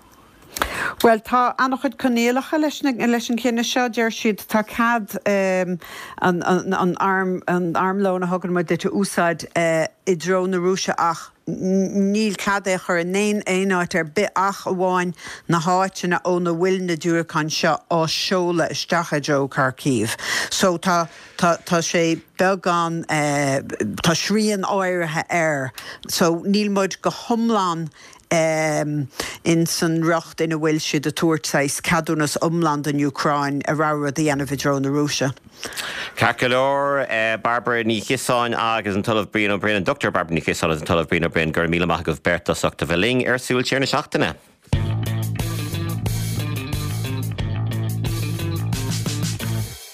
Bhuel, tá an-chuid coinníollacha leis leis an chinneadh seo, deir siad. Tá cead an an arm an armlón a thugann muid duit a úsáid i dtreo na Rúise ach níl cead é a chur in aon aon áit ar bith ach amháin na háiteanna óna bhfuil na diúracáin seo á seoladh isteach i dtreo Kharkiv. So tá tá tá sé beagán tá srian áirithe air. So níl muid go hiomlán in san riocht ina bhfuil siad ag tabhairt saghas ceadúnas iomlán don Úcráin a rogha rud a dhéanamh i dtreo na Rúise. Ceart go leor, Bairbre Ní Chiosáin agus an tOllamh Brian Ó Broin, an Dochtúir Bairbre Ní Chiosáin agus an tOllamh Brian Ó Broin, go raibh míle maith agaibh beirt as ucht a bheith linn ar Súil Siar na Seachtaine.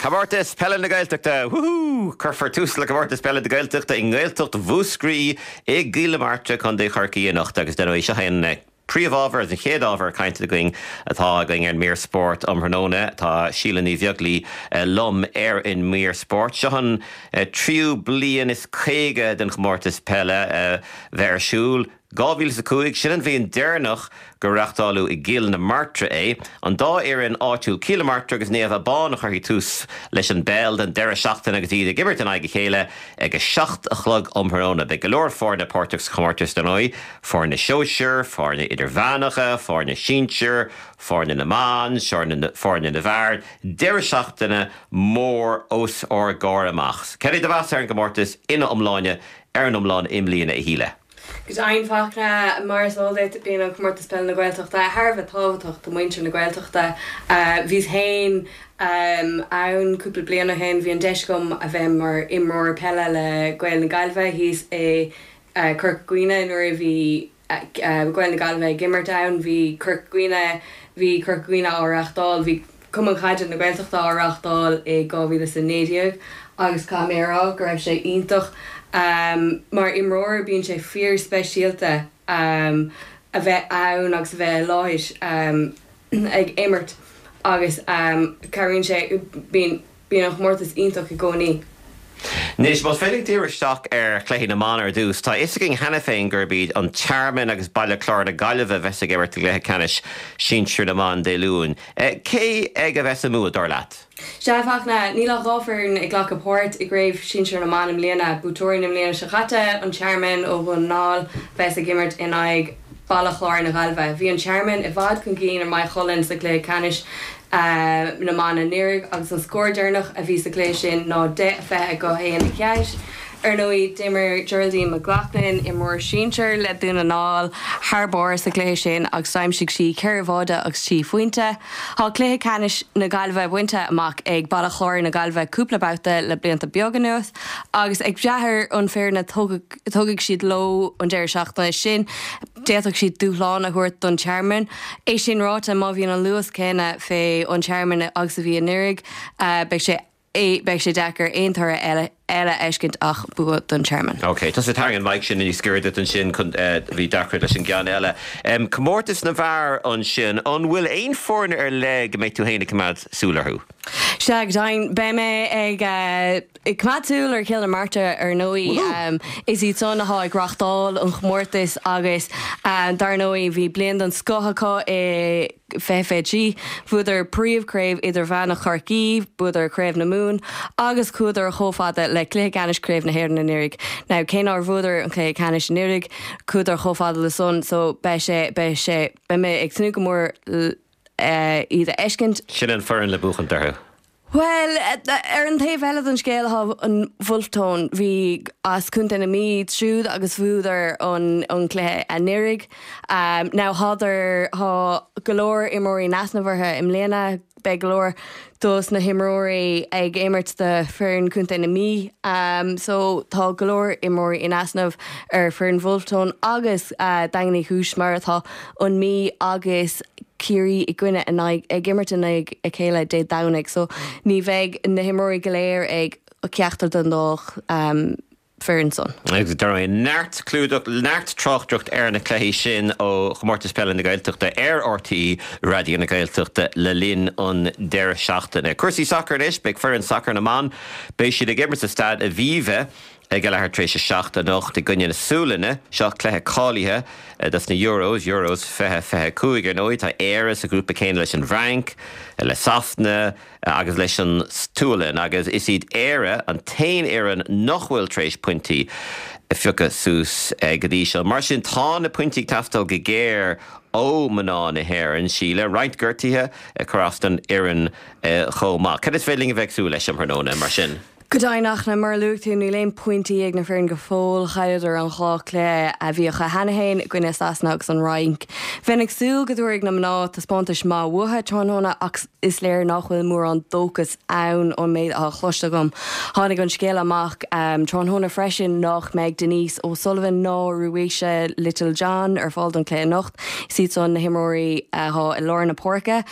Comórtas Peile na Gaeltachta! Wúhú! Cuirfear tús le Comórtas Peile na Gaeltachta i nGaeltacht Mhúscraí i gCill na Martra, Contae Chorcaí anocht agus dar ndóigh seo é an príomhábhar agus an chéad ábhar cainte againn atá againn ar an mír spóirt um thráthnóna. Tá Síle Ní Bheaglaoi liom ar an mír spóirt. Seo an tríú bliain is caoga den chomórtas peile bheith ar siúl. dhá mhíle is a cúig, sin an bhliain deireanach gur reáchtáladh i gCill na Martra é. An dá fhoireann áitiúil Cill na Martra agus Naomh Abán a chuirfidh tús leis an bpeil don deireadh seachtaine agus iad ag imirt in aghaidh a chéile ag a seacht a chlog um thráthnóna. Beidh go leor foirne páirteach sa chomórtas dar ndóigh, foirne sóisir, foirne idirmheánacha, foirne sinsir, foirne na mban, foirne na bhfear. Deireadh seachtaine mór os ár gcomhair amach. Cad é do mheas ar an gcomórtas ina iomláine ar an iomlán i mbliana, a Shíle? Go deimhin, Fachtna, mar is eol duit, bíonn an Comórtas Peile na Gaeltachta thar a bheith tábhachtach do mhuintir na Gaeltachta. Bhíos féin ann cúpla bliain ó shin, bhí an deis agam a bheith mar imreoir peile le Gaeil na Gaillimhe thíos i Corca Dhuibhne nuair a bhí Gaeil na Gaillimhe ag imirt ann. Bhí Corca Dhuibhne, bhí Corca Dhuibhne á reáchtáil, bhí Cumann Caide na Gaeltachta á reáchtáil i dhá mhíle is a naoi déag agus caithfidh mé a rá go raibh sé iontach. Mar imreoir bíonn sé fíor speisialta a bheith ann agus a bheith i láthair ag imirt agus cabhraíonn sé, bíonn Bíonn an chomórtas iontach i gcónaí. Anois, más féidir linn díriú isteach ar chluichí na mban ar dtús, tá a fhios againn cheana féin gurb iad an Tearmann agus Baile Chláir na Gaillimhe a bheas ag imirt i gcluiche ceannais sinsir na mban Dé Luain. Cé aige a bheas an bua, dar leat? Sea, a Fhachtna, níl ach dhá foireann ag glacadh páirt i gcraobh shinsir na mban i mbliana. Buaiteoirí na bliana seo caite, an Tearmann ó Dhún na nGall, a bheas ag imirt in aghaidh Baile Chláir na Gaillimhe. Bhí an Tearmann i bhfad chun cinn ar Maigh Cuilinn sa chluiche ceannais na mban anuraidh agus an scór deireanach a bhí sa gcluiche sin ná deich a fiche go haon a ceathair. Ar ndóigh, d'imir Geraldine McLaughlin, imreoir sinsir le Dún na nGall, thar barr sa chluiche sin agus d'aimsigh sí ceithre bháide agus trí phointe. Tá cluiche ceannais na Gaillimhe bainte amach ag Baile Chláir na Gaillimhe cúpla babhta le blianta beaga anuas agus ag brath ar an foireann a thógfaidh siad leo an deireadh seachtaine sin, d'fhéadfadh siad dúshlán a thabhairt don Tearmann. É sin ráite, má bhíonn an luas céanna fé an Tearmann agus a bhí anuraidh, beidh sé beidh sé deacair aon toradh eile eile a fheiscint ach bua don Tearmann. Ok, tusa tarraing an mic sin níos giorra duit ansin chun bhí deacracht leis an gceann eile. Comórtas na bhfear ansin, an bhfuil aon foirne ar leith go mbeidh tú féin ag coimeád súil orthu? Sea, go deimhin, beidh mé ag ag coimeád súil ar Chill na Martra ar ndóigh. Is iad san atá ag reáchtáil an chomórtais agus dar ndóigh bhí bliain den scoth acu i fiche fiche trí. Bhuadar príomhchraobh idirmheánach Chorcaí, bhuadar Craobh na Mumhan agus chuadar chomh fada le cluiche ceannais Craobh na hÉireann anuraidh. Now cé nár bhuadar an cluiche ceannais anuraidh, chuadar chomh fada le san so beidh sé, beidh sé, beidh mé ag tnúth go mór iad a fheiscint. Sin an foireann le buachaint orthu. Bhuel, ar an taobh eile den scéal tá an Bhulf Tón. Bhí as Contae na Mí iad siúd agus bhuadar an an cluiche anuraidh. Now thádar, thá go leor imreoirí in easnamh orthu i mbliana, beidh go leor dos na himreoirí ag imirt do foireann Contae na Mí so tá go leor imreoirí in easnamh ar foireann Bhulf Tón agus Daingean Uí Chúis mar atá an Mí agus Ciarraí i gcoinne in aghaidh, ag imirt in aghaidh a chéile Dé Domhnaigh so ní bheidh na himreoirí go léir ag ceachtar den dá foireann san. Agus dar ndóigh neart clúdach, neart tráchtaireacht ar na cluichí sin ó Chomórtas Peile na Gaeltachta ar RTÉ Raidió na Gaeltachta le linn an deireadh seachtaine. Cúrsaí sacair anois, beidh foireann sacair na mban, beidh siad ag imirt sa Staid Aviva, Ag a leathuair tar éis a seacht anocht i gcoinne na Sualainne. Seo cluiche cáilithe dos na Euros, Euros fiche fiche a cúig. Ar ndóigh, tá Éire sa ghrúpa céanna leis an bhFrainc, le Sasana agus leis an tSualainn agus is iad Éire an t-aon fhoireann nach bhfuil tar éis pointí a phiocadh suas go dtí seo. Mar sin, tá na pointí ag teastáil go géar ó mhná na hÉireann. Síle, roinnt gortuithe ag cur as don fhoireann chomh maith. Cad is féidir linn a bheith ag súil leis um thráthnóna, mar sin? Go deimhin, ach mar a luaigh tú, níl aon pointí ag na foireann go fóill. Chailleadar an dhá chluiche a bhí acu cheana féin, i gcoinne Sasana agus an Fhrainc. Bheinn ag súil go dtabharfaidh na mná taispeántas maith uathu tráthnóna ach is léir nach bhfuil mórán dóchas ann ón méid atá cloiste agam. Tháinig an scéala amach tráthnóna freisin nach mbeidh Denise O'Sullivan ná Ruesha Littlejohn ar fáil don chluiche anocht. Is iad san na himreoirí atá i lár na páirce.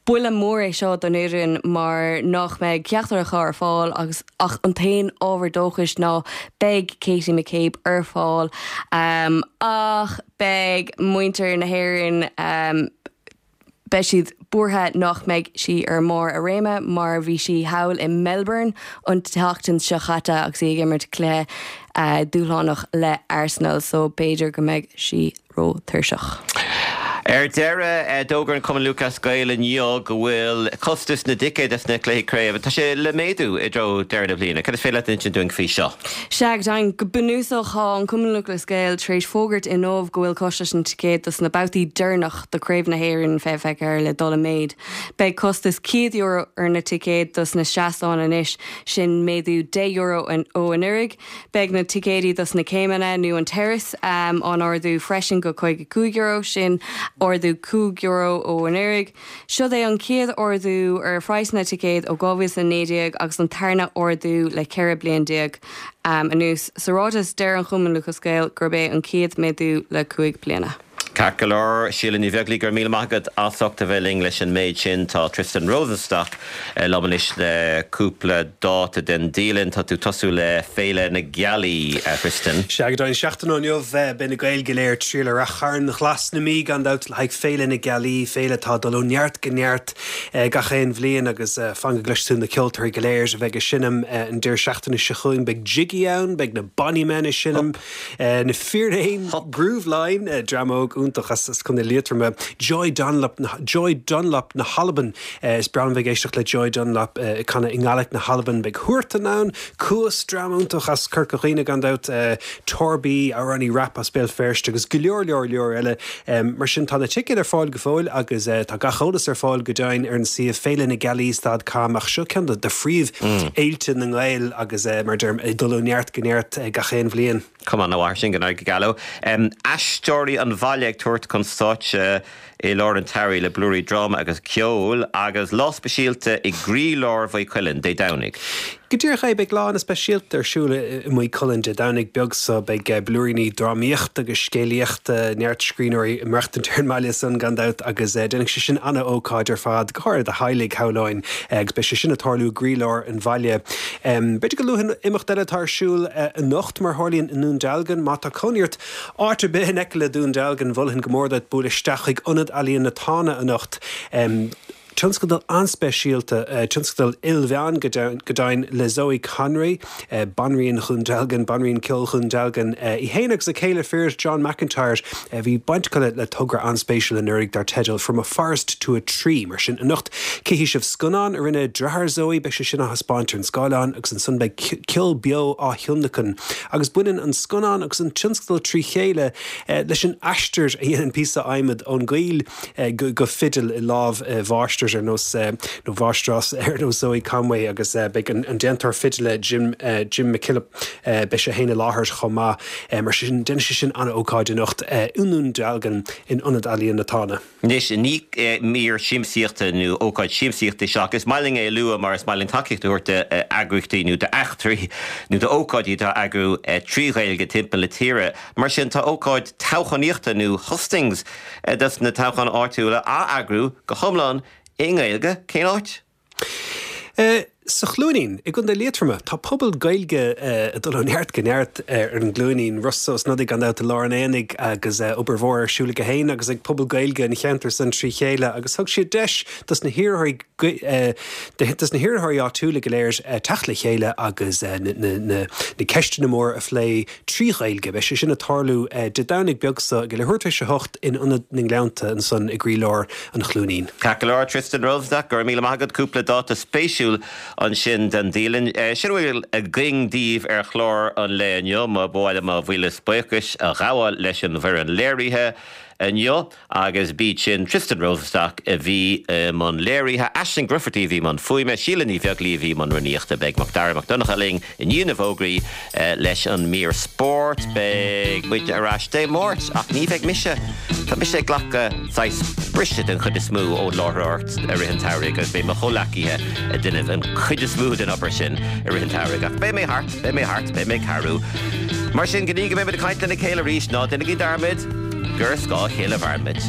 Buille mór é seo don fhoireann mar nach mbeidh ceachtar acu ar fáil agus ach an t-aon ábhar dóchais ná beidh Katie McCabe ar fáil ach beidh muintir na hÉireann beidh siad buartha nach mbeidh sí ar mbarr a réime mar bhí sí thall i Melbourne an tseachtain seo chaite agus í ag imirt cluiche dúshlánach le Arsenal so b'fhéidir go mbeidh sí ró-tuirseach. Ar deireadh, d'fhógair an Cumann Lúthchleas Gael inniu go bhfuil costas na dticéad dos na cluichí craoibhe, tá sé le méadú i dtreo deireadh na bliana. Cad is féidir leat a insint dúinn faoi seo? Sea, go deimhin, go bunúsach tá an Cumann Lúthchleas Gael tar éis fógairt inniu go bhfuil costas na dticéad dos na babhtaí deireanach de Chraobh na hÉireann fiche fiche ceathair le dul i méid. Beidh costas céad euro ar na ticéid dos na seastáin anois, sin méadú deich euro ó anuraidh. Beidh na ticéidí dos na céimeanna nó an terrace á n-ardú freisin go caoga cúig euro, sin ardú cúig euro ó anuraidh. Siod é an chéad ardú ar phraghsanna ticéad ó dhá mhíle is a naoi déag agus an tarna ardú le ceithre bliain déag anuas. Sa ráiteas, deir an Chumann Lúthchleas Gael gurb é an chéad méadú le cúig bliana. Ceart go leor, Síle Ní Bheaglaoí, go raibh míle maith agat as ucht a bheith linn leis an méid sin. Tá Tristan Rosenstock liom anois le cúpla dáta den dialann. Tá tú ag tosú le Féile na Gealaí, a Thristan. Sea, go deimhin, seachtain ó inniu beidh na Gaeil go léir ag triall ar Rath Chairn Ghlas na Mí gan dabht le haghaidh Féile na Gealaí, féile atá ag dul ó neart go neart gach aon bhliain agus fan go gcloisfidh tú na ceoltóirí go léir a bheidh ag seinm an deireadh seachtaine seo chugainn. Beidh Jiggy ann, beidh na Bonny Men ag seinm, na Fíréin, Grooveline, dream óg iontach as Contae Liatroma, Joy Dunlop, Joy Dunlop na hAlban. Is breá liom bheith ag éisteacht le Joy Dunlop ag canadh i nGaelic na hAlban. Beidh Huartan ann, Cuas, dream iontach as Corca Dhuibhne gan dabht, Torby, amhránaí rap as Béal Feirste agus go leor leor leor eile. Mar sin tá na ticéid ar fáil go fóill agus tá gach eolas ar fáil go deimhin ar an suíomh féile na gealaí stad com ach seo ceann de phríomhfhéilte na nGael agus mar a deirim ag dul ó neart go neart gach aon bhliain. Cuma ana mhaith sin, go n-éirí go geal leo. Aisteoirí an Bhaile ag tabhairt chun stáitse i lár an tsamhraidh le blúirí dráma agus ceoil agus lá speisialta i gcroílár Mhaigh Cuilinn Dé Domhnaigh. Go díreach é, beidh lá an-speisialta ar siúl i Maigh Cuilinn Dé Domhnaigh beag so. Beidh blúiríní drámaíochta agus scéalaíochta, neart scríbhneoirí ag maireachtaint ar an mbaile san gan dabht agus déanfaidh sé sin an-ócáid ar fad, go háirithe do theaghlaigh, shamhlóinn, agus beidh sé sin ag tarlú i gcroílár an bhaile. B'fhéidir go luafainn imeacht eile atá ar siúl anocht, mar a tharlaíonn i nDún Dealgan. Má tá cónaí ort áit ar bith in aice le Dún Dealgan, mholfainn go mór duit bualadh isteach chuig Ionad Ealaíon na Tána anocht. Tionscadal an-speisialta, tionscadal ilmheán go deimhin, le Zoe Conway, Banríon Dhún Dealgan, Banríon Ceoil Dhún Dealgan, í féin agus a céile fir John McIntyre. Bhí baint acu le togra an-spéisiúil anuraidh dar teideal From a Forest to a Tree. Mar sin, anocht cífidh sibh scannán a rinne deartháir Zoe, beidh sé sin á thaispeáint ar an scáileán agus ansan beidh ceol beo á thionlacan. Agus baineann an scannán agus an tionscadal trí chéile leis an aistear a dhéanann píosa adhmaid ón gcoill go fidil i lámh mháistir ar nós nó mháistreás ar nós Zoe Conway agus beidh an déantóir fidile Jim Jim McKillop beidh sé féin i láthair chomh maith. Mar sin déanfaidh sé sin an-ócáid anocht i nDún Dealgan in Ionad Ealaíon na Tána. Anois, ní mír siamsaíochta nó ócáid siamsaíochta í seo ach is maith linn é a lua mar is maith linn tacaíocht a thabhairt d'eagraíochtaí nó d'eachtraí nó d'ócáidí atá á eagrú trí Ghaeilge timpeall na tíre. Mar sin, tá ócáid toghchánaíochta nó hustings dos na toghcháin áitiúla á eagrú go hiomlán i nGaeilge. Cén áit? Sa Chluainín, i gContae Liatroma, tá pobal Gaeilge ag dul ó neart go neart ar an gCluainín. Rossa Ó Snodaigh gan dabht i lár an aonaigh agus obair mhór ar siúl aige féin agus ag pobal Gaeilge an cheantair san trí chéile agus thug siad deis dos na hiarrthóirí dos na hiarrthóirí áitiúla go léir teacht le chéile agus na ceisteanna móra a phlé trí Ghaeilge. Beidh sé sin ag tarlú Dé Domhnaigh beag seo ag leathuair tar éis a hocht in Ionad na nGleannta ansan i gcroílár an Chluainín. Ceart go leor, Tristan Rosenstock, go raibh míle maith agat. Cúpla dáta spéisiúil ansin den dialann. Sin a bhfuil againn daoibh ar chlár an lae inniu. Ba mhaith liom mo mhíle buíochas a ghabháil leis an bhfoireann léirithe inniu agus b'iad sin Tristan Rosenstock a bhí i mbun léirithe, Aisling Grufferty a bhí i mbun fuaime, Síle Ní Bheaglaoí a bhí i mbun rúnaíochta. Beidh Macdara Mac Donncha linn i ndiaidh na bhfógraí leis an mír spóirt. Beidh muid ar ais Dé Máirt ach ní bheidh mise. Tá mise ag glacadh saghas briseadh den chuid is mó ón láithreoireacht i rith an tsamhraidh agus beidh mo chomhleacaithe ag déanamh an chuid is mó den obair sin i rith an tsamhraidh. Ach beidh mé thart, beidh mé thart, beidh mé ag cabhrú. Mar sin, go dtí go mbeimid ag caint lena chéile arís, ná déanaigí dearmad gur ar scáth a chéile a mhairimid.